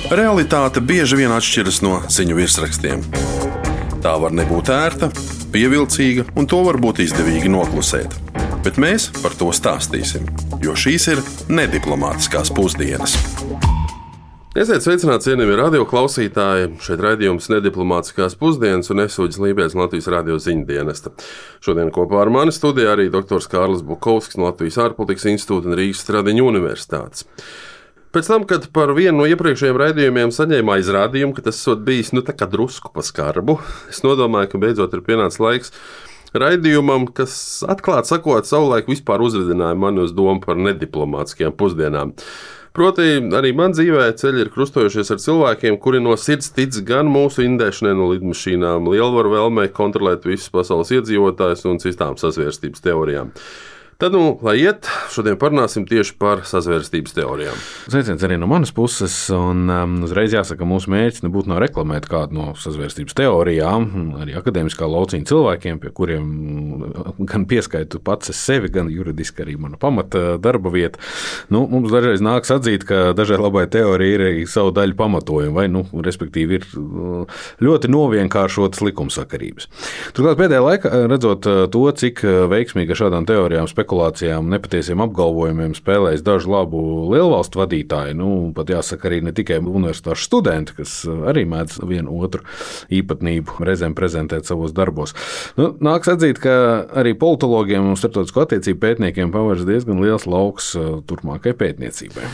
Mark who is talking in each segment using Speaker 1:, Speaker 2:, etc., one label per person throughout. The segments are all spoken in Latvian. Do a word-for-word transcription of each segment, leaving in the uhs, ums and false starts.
Speaker 1: Realitāte bieži vien atšķiras no ziņu virsrakstiem. Tā var nebūt ērta, pievilcīga, un to var būt izdevīgi noklusēt. Bet mēs par to stāstīsim, jo šīs ir nediplomātiskās pusdienas.
Speaker 2: Esiet sveicināti, cienījamie radio klausītāji. Šeit raidījums Nediplomātiskās pusdienas un es Uģis Lībijams no Latvijas radio ziņu dienesta. Šodien kopā ar mani studijā arī doktors Kārlis Bukovskis no Latvijas ārpolitikas institūta un Rīgas Stradiņu universitātes. Pēc tam, kad par vienu no iepriekšējiem raidījumiem saņēmu aizrādījumu, ka tas esot bijis nu, tā kā drusku pa skarbu, es nodomāju, ka beidzot ir pienācis laiks raidījumam, kas atklāt sakot savulaik vispār uzvedināja mani uz domu par nediplomātiskajām pusdienām. Proti, arī man dzīvē ceļi ir krustojušies ar cilvēkiem, kuri no sirds tic gan mūsu indēšanai no lidmašīnām, lielvaru vēlmei kontrolēt visus pasaules iedzīvotājus un citām sazvērstības teorijām. Tad, nu, lai iet, šodien parunāsim tieši par sazvērstības teorijām.
Speaker 3: Sveiciens arī no manas puses, un um, uzreiz jāsaka, mūsu mērķis nebūtu nav reklamēt kādu no sazvērstības teorijām, arī akadēmiskā lauciņa cilvēkiem, pie kuriem gan pieskaitu pats es sevi, gan juridiski arī mana pamata darba vieta. Nu, mums dažreiz nāks atzīt, ka dažai labai teorija ir arī savu daļu pamatojuma, vai, nu, respektīvi, ir ļoti novienkāršotas likumsakarības. Turklāt pēdējā laikā, redzot to, cik veiksmīgi ar šādām teorijām spekulācijām, nepatiesiem apgalvojumiem spēlējas dažu labu lielvalstu vadītāji, nu, pat jāsaka arī ne tikai universitāšu studenti, kas arī mēdz vienu otru īpatnību reizēm prezentēt savos darbos. Nu, nāks atzīt, ka arī politologiem un starptautisko attiecību pētniekiem pavērs diezgan liels lauks turpmākai pētniecībai.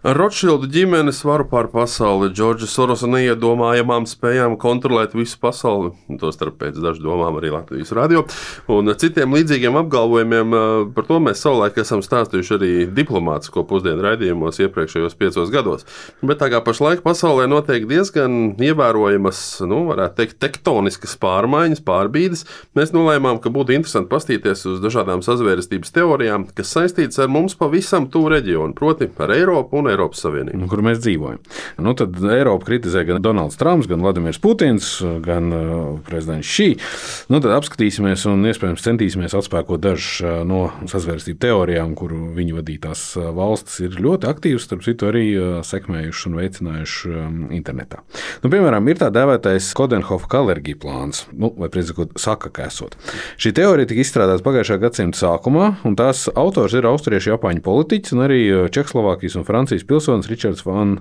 Speaker 2: Ar Rotšildu ģimenes varu pār pasauli, Džordža Sorosa neiedomājamām spējām kontrolēt visu pasauli, tostarp pēc dažu domām arī Latvijas radio, un citiem līdzīgiem apgalvojumiem. Par to mēs savulaik esam stāstījuši arī diplomātisko pusdienu raidījumos iepriekšējos piecos gados. Bet tā kā pašlaik pasaulē notiek diezgan ievērojamas, nu, varētu teikt, tektoniskas pārmaiņas, pārbīdes, mēs nolēmām, ka būtu interesanti pastīties uz dažādām sazvērestības teorijām, kas saistītas ar mums pavisam tuvu reģionu, proti ar Eiropu un Eiropas Savienību.
Speaker 3: Kur mēs dzīvojam. Nu, tad Eiropu kritizē gan Donalds Trumps, gan Vladimirs Putins, gan uh, prezidents Šī. Nu, tad apskatīsimies un iespējams centīsimies atspēkot dažas uh, no sazvērstību teorijām, kuru viņu vadītās uh, valstis ir ļoti aktīvas, starp citu arī uh, sekmējuši un veicinājuši um, internetā. Nu, piemēram, ir tā dēvētais Coudenhove-Kalergi plāns, nu, vai precīzāk saka, ka esot. Šī teorija tika izstrādāta pagājušā gadsimta sākumā, un tās autors ir austriešu japāņu politiķis un arī Čehoslovākijas un Francijas pilsonis Ričards van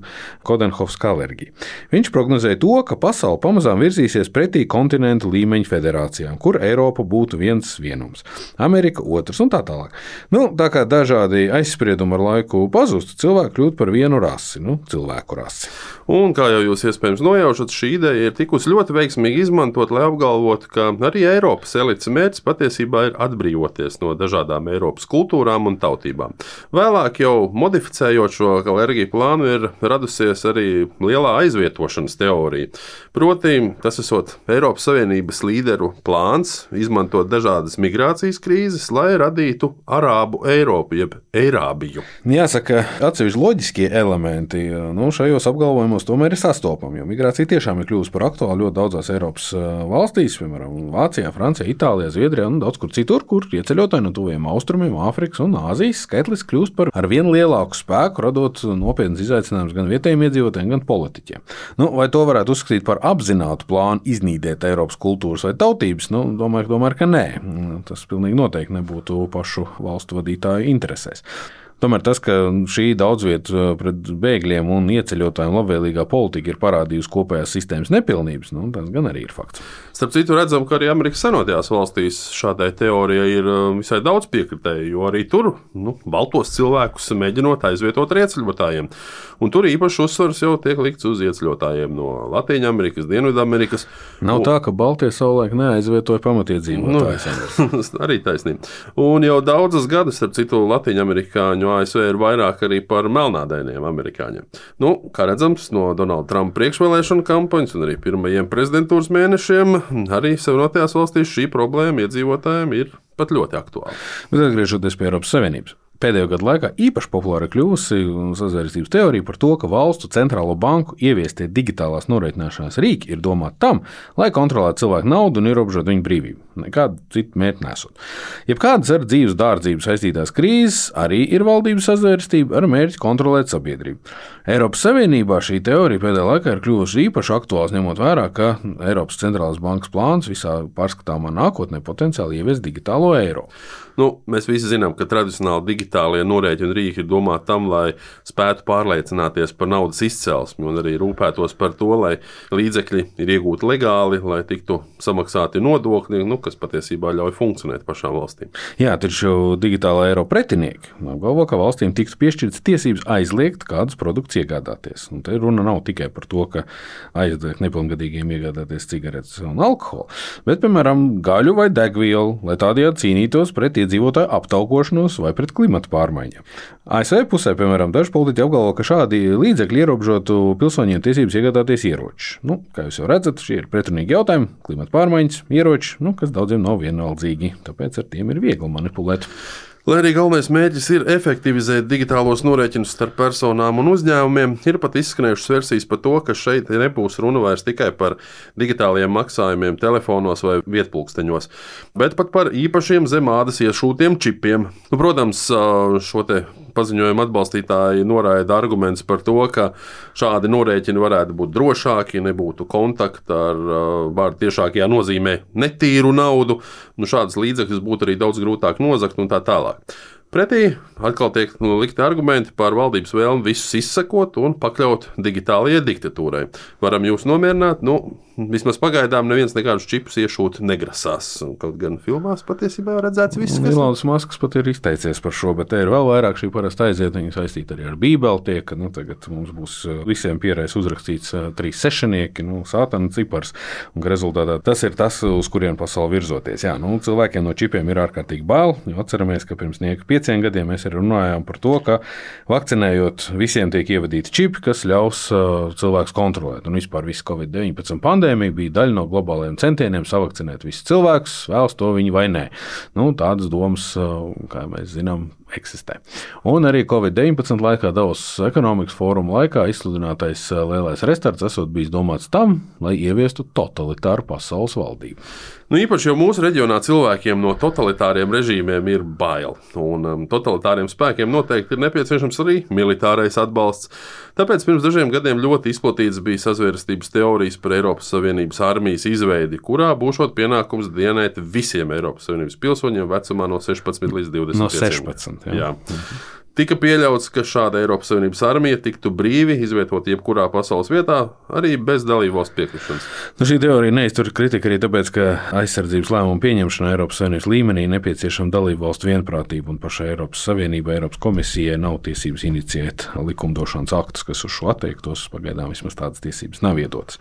Speaker 3: Coudenhove-Kalergi. Viņš prognozēja to, ka pasaule pamazām virzīsies pretī kontinentu līmeņa federācijām, kur Eiropa būtu viens vienums, Amerika otrs un tā tālāk. Nu, tā kā dažādi aizspriedumi ar laiku pazustu, cilvēki kļūt par vienu rasi, nu, cilvēku rasi.
Speaker 2: Un, kā jau jūs iespējams nojaušat, šī ideja ir tikusi ļoti veiksmīgi izmantot, lai apgalvotu, ka arī Eiropas elites mērķis patiesībā ir atbrīvoties no dažādām Eiropas kultūrām un tautībām. Vēlāk jau modificējot šo Kalergi plānu ir radusies arī lielā aizvietošanas teorija. Proti, tas esot Eiropas Savienības līderu plāns izmantot dažādas migrācijas krīzes, lai radītu Arābu Eiropu, jeb Eirābiju.
Speaker 3: Jāsaka, atsevišķi loģiskie elementi, nu, šajos apgalvojumos tomēr ir sastopami, jo migrācija tiešām ir kļuvusi par aktuālu ļoti daudzās Eiropas valstīs, piemēram, Vācijā, Francijā, Itālijā, Zviedrijā un daudz kur citur, kur ieceļotāji no tuviem austrumiem, Āfrikas un Āzijas skaitlis kļūst par ar vien lielāku spēku, radot nopietnas izaicinājumus gan vietējiem iedzīvotājiem, gan politiķiem. Nu, vai to varētu uzskatīt par apzinātu plānu iznīdēt Eiropas kultūras vai tautības? Nu, domāju, domāju, ka nē. Tas pilnīgi noteikti nebūtu pašu valstu vadītāju interesēs. Tomēr tas, ka šī daudzvietu pret bēgļiem un ieceļotājiem labvēlīgā politika ir parādījusi kopējās sistēmas nepilnības, nu, tas gan arī ir fakts.
Speaker 2: Starp citu, redzam, ka arī Amerikas Savienotajās valstīs šādai teorijai ir visai daudz piekritēju, jo arī tur nu, baltos cilvēkus mēģinot aizvietot ar ieceļotājiem. Un tur īpaši uzsvars jau tiek likts uz ieceļotājiem no Latīņamerikas, Dienvidamerikas.
Speaker 3: Nav un... tā, ka baltie savulaik neaizvietoja pamatiedzīvotājus.
Speaker 2: Nu, arī taisnība. Un jau daudzas gadus, starp citu, Latīņamerikāņu A S V ir vairāk arī par melnādainiem amerikāņiem. Nu, kā redzams, no Donalda Trumpa priekšvēlēšanu kampaņas un arī pirmajiem prezidentūras mēnešiem arī Savienotajās valstīs šī problēma iedzīvotājiem ir pat ļoti aktuāla.
Speaker 3: Bet atgriežoties pie Eiropas Savienības. pēdējo gadu laikā īpaši populāra kļuvusi sazvērstības teorija par to, ka valstu centrālo banku ieviestie digitālās norēķināšanās rīki ir domāti tam, lai kontrolētu cilvēku naudu un ierobežotu viņu brīvību. Nekādu citu mērķi nesot. Jebkādas ar dzīves dārdzību saistītās krīzes arī ir valdības sazvērstība ar mērķi kontrolēt sabiedrību. Eiropas Savienībā šī teorija pēdējā laikā ir kļuvusi īpaši aktuāls, ņemot vērā, ka Eiropas centrālās bankas plāns visā pārskatāmā nākotnē potenciāli ievies digitālo eiro.
Speaker 2: Nu, mēs visi zinām, ka tradicionāli digitālie norēķinu rīki ir domāti tam, lai spētu pārliecināties par naudas izcelsmi un arī rūpētos par to, lai līdzekļi ir iegūti legāli, lai tiktu samaksāti nodokļi, nu, kas patiesībā ļauj funkcionēt pašām valstīm.
Speaker 3: Jā, taču digitālā eiro pretinieki apgalvo, ka valstīm tiktu piešķirtas tiesības aizliegt kādus produktus iegādāties. Un te runa nav tikai par to, ka aizliegt nepilngadīgiem iegādāties cigaretes un alkoholu, bet, piemēram, gaļu vai degvielu, lai tādējādi cīnītos pret iedzīvotāju aptaukošanos vai pret klimata pārmaiņām. A S V pusē, piemēram, daži politiķi apgalvo, ka šādi līdzekļi ierobežotu pilsoņiem tiesības iegādāties ieročus. Nu, kā jūs jau redzat, šie ir pretrunīgi jautājumi, klimata pārmaiņas, ieroči, nu, kas daudziem nav vienaldzīgi, tāpēc ar tiem ir viegli manipulēt.
Speaker 2: Lai arī galvenais mērķis ir efektivizēt digitālos norēķinus starp personām un uzņēmumiem, ir pat izskanējušas versijas par to, ka šeit nebūs runa vairs tikai par digitālajiem maksājumiem telefonos vai vietpulksteņos, bet pat par īpašiem zem ādas iešūtiem čipiem. Nu, protams, šo te paziņojumu atbalstītāji noraida arguments par to, ka šādi norēķini varētu būt drošāki, nebūtu kontakta ar vārdu tiešākajā nozīmē netīru naudu, nu, šādas līdzekļus būtu arī daudz grūtāk nozagt un tā tālāk. Pretī atkal tiek nu, likti argumenti par valdības vēlmi visus izsekot un pakļaut digitālajai diktatūrai. Varam jūs nomierināt, nu, vismaz pagaidām neviens nekādus čipus iešūt negrasās. Kaut gan filmās patiesībā redzēts viss, kas...
Speaker 3: Ilons Masks pat ir izteicies par šo, bet te ir vēl vairāk šī parasta aizietiņa saistīta arī ar Bībeli tiek, ka nu, tagad mums būs visiem pierēs uzrakstīts trīs sešanieki, nu, sātana cipars, un ka rezultātā tas ir tas, uz kurien pasauli virzoties. Jā, nu, cilvēkiem no čipiem ir ārkārtīgi bail, jo atceramies, ka pirms nieka pieciem gadiem mēs arī runājām par to, ka vakcinējot visiem tiek ievadīti čipi, kas ļaus uh, cilvēkus kontrolēt. Un vispār visu covid deviņpadsmit pandēmija bija daļa no globālajiem centieniem savakcinēt visus cilvēkus, vēlas to viņi vai nē. Nu, tādas domas, uh, kā mēs zinām, eksistē. Un arī covid deviņpadsmit laikā Davosas ekonomikas fóruma laikā izsludinātais lielais restarts esot bijis domāts tam, lai ieviestu totalitāru pasaules valdību.
Speaker 2: Nu, īpaši jau mūsu reģionā cilvēkiem no totalitāriem režīmiem ir bail, un um, totalitāriem spēkiem noteikti ir nepieciešams arī militārais atbalsts. Tāpēc pirms dažiem gadiem ļoti izplatīts bija sazvērstības teorijas par Eiropas Savienības armijas izveidi, kurā būšot pienākums dienēt visiem Eiropas Savienības pilsoņiem vecumā no sešpadsmit līdz divdesmit pieciem.
Speaker 3: No sešpadsmit, jā.
Speaker 2: jā. Tika pieļauts, ka šāda Eiropas Savienības armija tiktu brīvi izvietot jebkurā pasaules vietā, arī bez dalībvalstu piekrišanas.
Speaker 3: Nu, šī teorija neiztur kritika arī tāpēc, ka aizsardzības lēmumu pieņemšanā Eiropas Savienības līmenī nepieciešama dalībvalstu vienprātība, un pašai Eiropas Savienībai, Eiropas komisijai nav tiesības inicijēt likumdošanas aktus, kas uz šo attiektos. Pagaidām vismaz tādas tiesības nav iedotas.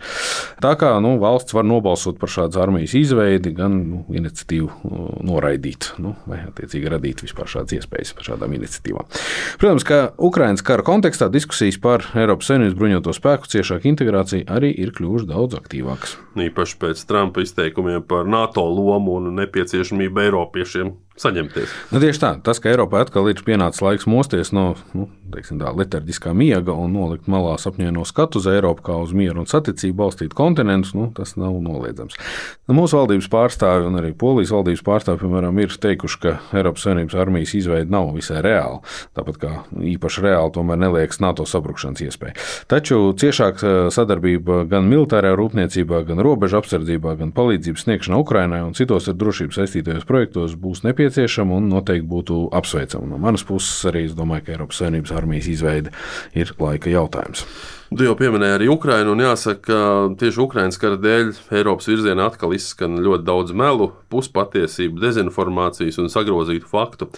Speaker 3: Tā kā nu, valsts var nobalsot par šādas armijas izveidi, gan nu, iniciatīvu noraidīt, nu, vai attiecīgi radīt vispār šādas iespējas par šādām iniciatīvām. Protams, ka Ukrainas kara kontekstā diskusijas par Eiropas Savienības bruņoto spēku ciešāku integrāciju arī ir kļuvušas daudz aktīvākas.
Speaker 2: Īpaši pēc Trumpa izteikumiem par NATO lomu un nepieciešamību Eiropiešiem saņemties.
Speaker 3: Nu, tieši tā, tas, ka Eiropai atkal ir pienācis laiks mosties no nu, teiksim, tā, letarģiskā miega un nolikt malā sapņojaino skatu uz Eiropu kā uz mieru un saticību balstīt kontinentus, nu, tas nav noliedzams. Nu, mūsu valdības pārstāvi un arī Polijas valdības pārstāvi, piemēram, ir teikuši, ka Eiropas Savienības armijas izveide nav visai reāla, tāpat kā īpaši reāli tomēr neliekas NATO sabrukšanas iespēja. Taču ciešāka sadarbība gan militārajā rūpniecībā, gan robežu apsardzībā, gan palīdzības sniegšanā Ukrainai un citos ar drošību saistītajos projektos būs nepieciešama un noteikti būtu apsveicama. No manas puses arī es domāju, ka Eiropas Savienības armijas izveide ir laika jautājums.
Speaker 2: Tu jau pieminēji arī Ukrainu, un jāsaka, ka tieši Ukrainas kara dēļ Eiropas virzienā atkal izskan ļoti daudz melu, puspatiesību, dezinformācijas un sagrozītu faktu.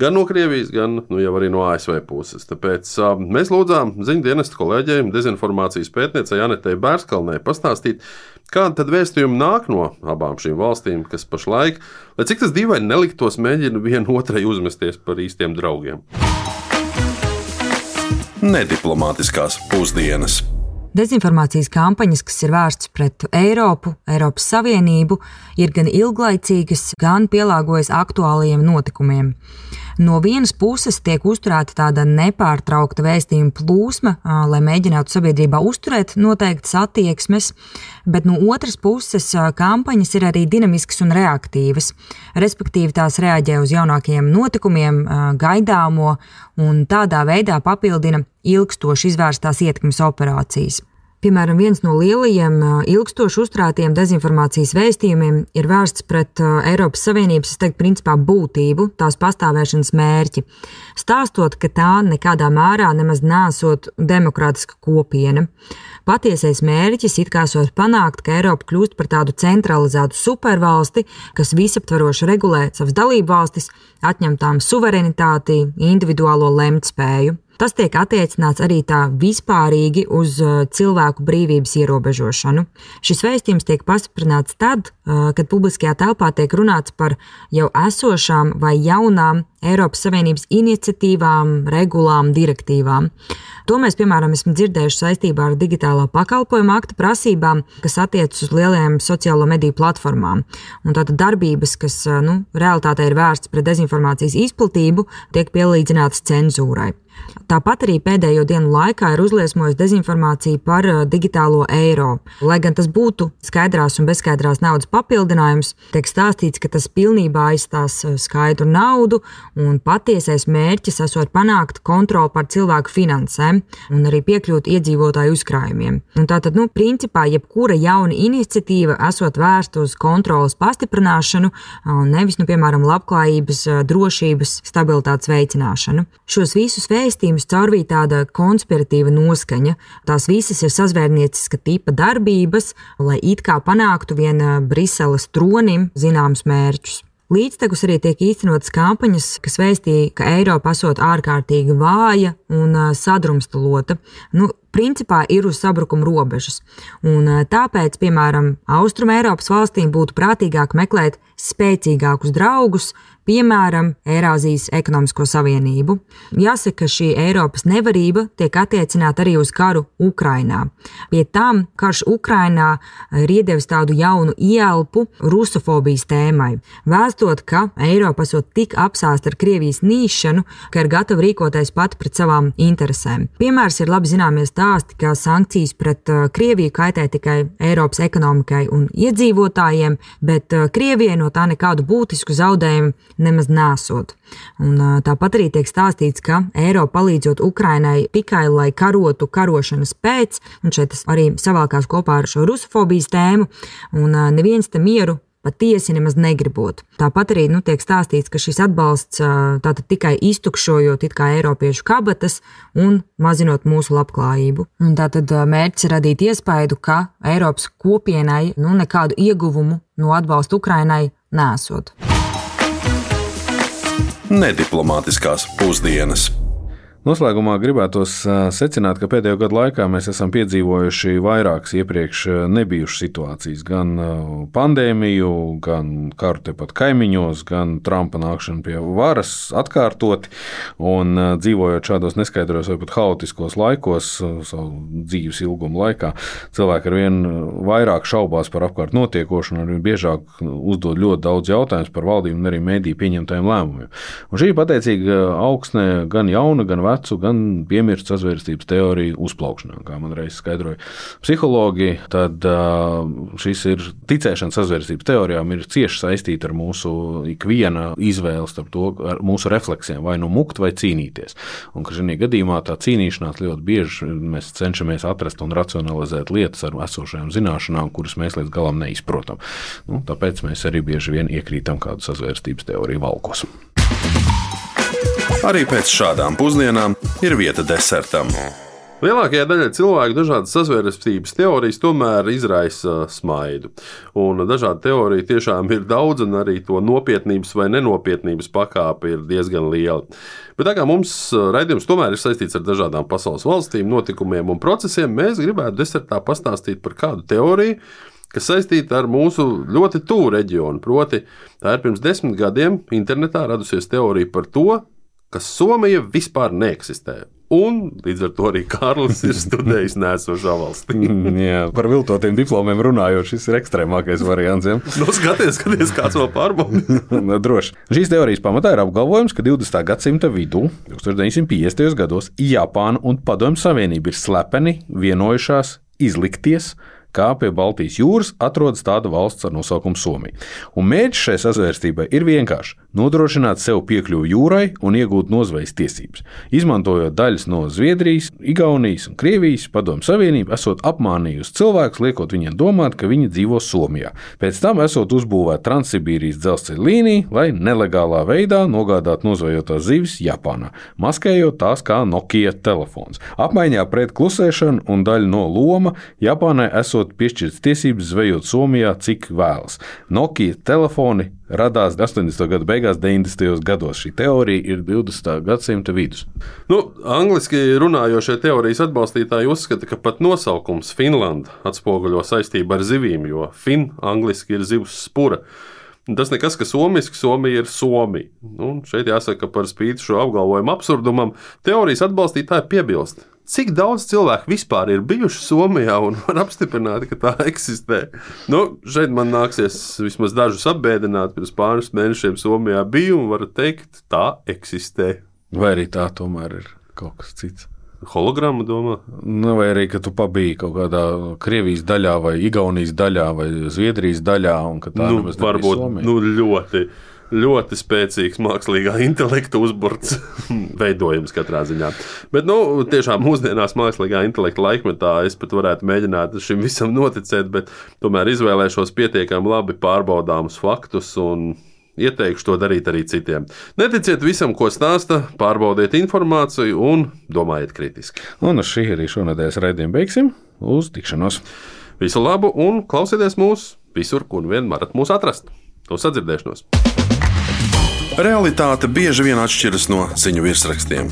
Speaker 2: Gan no Krievijas, gan nu, jau arī no A S V puses. Tāpēc uh, mēs lūdzām ziņu dienesta kolēģiem, dezinformācijas pētniecei Anetei Bērskalnei pastāstīt, kāda tad vēstījumi nāk no abām šīm valstīm, kas pašlaik, lai cik tas dīvaini neliktos, mēģina vienu otrai uzmesties par īstiem draugiem.
Speaker 1: Nediplomātiskās pusdienas.
Speaker 4: Dezinformācijas kampaņas, kas ir vērstas pret Eiropu, Eiropas Savienību, ir gan ilglaicīgas, gan pielāgojas aktuālajiem notikumiem. No vienas puses tiek uzturēta tāda nepārtraukta vēstījuma plūsma, lai mēģinātu sabiedrībā uzturēt noteiktas attieksmes, bet no otras puses kampaņas ir arī dinamiskas un reaktīvas, respektīvi tās reaģē uz jaunākajiem notikumiem, gaidāmo un tādā veidā papildina ilgstoši izvērstās ietekmes operācijas. Piemēram, viens no lielajiem ilgstoši uzturētiem dezinformācijas vēstījumiem ir vērsts pret Eiropas Savienības, es teiktu, principā būtību, tās pastāvēšanas mērķi, stāstot, ka tā nekādā mērā nemaz nesot demokrātiska kopiena. Patiesais mērķis it kā esot panākt, ka Eiropa kļūst par tādu centralizētu supervalsti, kas visaptvaroši regulē savas dalību valstis, atņem tām suverenitāti, individuālo lemtspēju. Tas tiek attiecināts arī tā vispārīgi uz cilvēku brīvības ierobežošanu. Šis vēstījums tiek pastiprināts tad, kad publiskajā telpā tiek runāts par jau esošām vai jaunām Eiropas Savienības iniciatīvām, regulām, direktīvām. To mēs, piemēram, esam dzirdējuši saistībā ar digitālā pakalpojuma akta prasībām, kas attiecas uz lielajām sociālo mediju platformām. Un tātad darbības, kas nu, realitātē ir vērsts pret dezinformācijas izplatību, tiek pielīdzinātas cenzūrai. Tāpat arī pēdējo dienu laikā ir uzliesmojusi dezinformācija par digitālo eiro. Lai gan tas būtu skaidrās un bezskaidrās naudas papildinājums, tiek stāstīts, ka tas pilnībā aizstās skaidru naudu un patiesais mērķis esot panākt kontroli pār cilvēku finansēm un arī piekļūt iedzīvotāju uzkrājumiem. Un tātad, nu, principā, jebkura jauna iniciatīva esot vērsta uz kontrolas pastiprināšanu, nevis, nu, piemēram, labklājības, drošības, stabilitātes veicināšanu. Šos visus vēstījumus caurvīja tāda konspiratīva noskaņa. Tās visas ir sazvērnieciska tipa darbības, lai it kā panāktu vien Briseles tronim zināmus mērķus. Līdztekus arī tiek īstenotas kampaņas, kas vēstīja, ka Eiropa esot ārkārtīgi vāja un sadrumstalota. Nu, principā ir uz sabrukuma robežas. Un tāpēc, piemēram, Austrum Eiropas valstīm būtu prātīgāk meklēt spēcīgākus draugus, piemēram, Eirāzijas ekonomisko savienību. Jāsaka, ka šī Eiropas nevarība tiek attiecināta arī uz karu Ukrainā. Pie tam karš Ukrainā ir iedevis tādu jaunu ielpu rusofobijas tēmai, vēstot, ka Eiropa esot tik apsāsta ar Krievijas nīšanu, ka ir gatava rīkoties pati pret savām interesēm. Piemērs ir labi zināmies stāsti, ka sankcijas pret Krieviju kaitē tikai Eiropas ekonomikai un iedzīvotājiem, bet Krievijai no tā nekādu būtisku zaudējumu nemaz nesot. Un tāpat arī tiek stāstīts, ka Eiropa palīdzot Ukrainai tikai, lai karotu karošanas pēc, un šeit tas arī savalkās kopā ar šo rusofobijas tēmu, un neviens te mieru patiesi nemaz negribot. Tāpat arī nu, tiek stāstīts, ka šis atbalsts tātad tikai iztukšojot it kā eiropiešu kabatas un mazinot mūsu labklājību. Un tātad mērķis ir radīt iespaidu, ka Eiropas kopienai nu, nekādu ieguvumu no atbalsta Ukrainai nesot.
Speaker 1: Nediplomātiskās pusdienas.
Speaker 3: Noslēgumā gribētos secināt, ka pēdējo gadu laikā mēs esam piedzīvojuši vairākas iepriekš nebijušas situācijas. Gan pandēmiju, gan karu tepat kaimiņos, gan Trumpa nākšanu pie varas atkārtoti. Un dzīvojot šādos neskaidros vai pat haotiskos laikos, savu dzīves ilguma laikā, cilvēki ar vien vairāk šaubās par apkārt notiekošanu un arvien biežāk uzdod ļoti daudz jautājumus par valdību un arī mediju pieņemtajiem lēmumiem. Un šī pateicīga augsne gan jauna, gan vecu, gan piemirst sazvērstības teoriju uzplaukšanā, kā man reiz skaidroja psihologi, tad šis ir ticēšana sazvērstības teorijām ir cieši saistīta ar mūsu ikviena izvēli starp to, ar mūsu refleksiem, vai nu mukt vai cīnīties. Un ka šajā gadījumā tā cīnīšanās ļoti bieži mēs cenšamies atrast un racionalizēt lietas ar esošajām zināšanām, kuras mēs līdz galam neizprotam. Nu, tāpēc mēs arī bieži vien iekrītam kādu sazvērstības teoriju valkos.
Speaker 1: Arī pēc šādām pusdienām ir vieta desertam.
Speaker 2: Lielākajai daļai cilvēku dažādas sazvērstības teorijas tomēr izraisa smaidu. Un dažādu teoriju tiešām ir daudz, un arī to nopietnības vai nenopietnības pakāpe ir diezgan liela. Bet tā kā mums raidījums tomēr ir saistīts ar dažādām pasaules valstīm, notikumiem un procesiem, mēs gribētu desertā pastāstīt par kādu teoriju, kas saistīta ar mūsu ļoti tuvu reģionu. Proti, tā ir pirms desmit gadiem internetā radusies teorija par to, ka Somija vispār neeksistē. un līdz ar to arī Kārlis ir studējis nēsošā valstī.
Speaker 3: Jā, par viltotiem diplomiem runājot, šis ir ekstrēmākais variants. Ja?
Speaker 2: Nu, skaties, skaties, kāds vēl pārbauda.
Speaker 3: Droši. Šīs teorijas pamatā ir apgalvojums, ka divdesmitā gadsimta vidū, tusenš deviņsimt piecdesmitajos gados, Japāna un Padomju Savienība ir slepeni vienojušās izlikties, kā pie Baltijas jūras atrodas tāda valsts ar nosaukumu Somija. Un mērķis šai sazvērstībai ir vienkārši nodrošināt sev piekļuvi jūrai un iegūt nozvejas tiesības. Izmantojot daļas no Zviedrijas, Igaunijas un Krievijas, Padomju Savienība esot apmānījusi cilvēkus, liekot viņiem domāt, ka viņi dzīvo Somijā. Pēc tam esot uzbūvēta Transsibīrijas dzelzceļa līnija, lai nelegālā veidā nogādātu nozvejotās zivis Japānā, maskējot tās kā Nokia telefons. Apmaiņā pret klusēšanu un daļu no loma Japānai esot piešķirts tiesības zvejot Somijā, cik vēlas. Nokia telefoni radās astoņdesmito gadu beigās, deviņdesmitajos gados. Šī teorija ir divdesmitā gadsimta vidus.
Speaker 2: Nu, angliski runājošie teorijas atbalstītāji uzskata, ka pat nosaukums Finlanda atspoguļo saistību ar zivīm, jo fin angliski ir zivs spura. Tas nekas, ka somiski, Somija ir Somija. Nu, šeit jāsaka, par spīti šo apgalvojumu absurdumam, teorijas atbalstītāji piebilst. Cik daudz cilvēku vispār ir bijuši Somijā un var apstiprināt, ka tā eksistē? Nu, šeit man nāksies vismaz dažus apbēdināt. Pirms pāris mēnešiem Somijā biju un varu teikt, tā eksistē.
Speaker 3: Vai arī tā tomēr ir kaut kas cits?
Speaker 2: Hologramma domā?
Speaker 3: Nu, vai arī, ka tu pabiji kaut kādā Krievijas daļā vai Igaunijas daļā vai Zviedrijas daļā un ka tā
Speaker 2: nu,
Speaker 3: nemaz nebija
Speaker 2: varbūt,
Speaker 3: Somija.
Speaker 2: Nu, ļoti. Ļoti spēcīgs mākslīgā intelekta uzburts veidojums katrā ziņā. Bet, nu, tiešām mūsdienās mākslīgā intelekta laikmetā es pat varētu mēģināt šim visam noticēt, bet tomēr izvēlēšos pietiekami labi pārbaudāmus faktus un ieteikšu to darīt arī citiem. Neticiet visam, ko stāsta, pārbaudiet informāciju un domājiet kritiski.
Speaker 3: Un uz šī arī šonedēļas raidījumu beigsim. Uz tikšanos!
Speaker 2: Visu labu un klausieties mūs visur, kur vien varat mūs atrast. Uz sadzirdēšanos!
Speaker 1: Realitāte bieži vien atšķiras no ziņu virsrakstiem.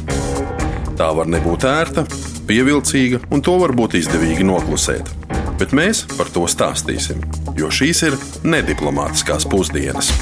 Speaker 1: Tā var nebūt ērta, pievilcīga, un to var būt izdevīgi noklusēt. Bet mēs par to stāstīsim, jo šīs ir nediplomātiskās pusdienas.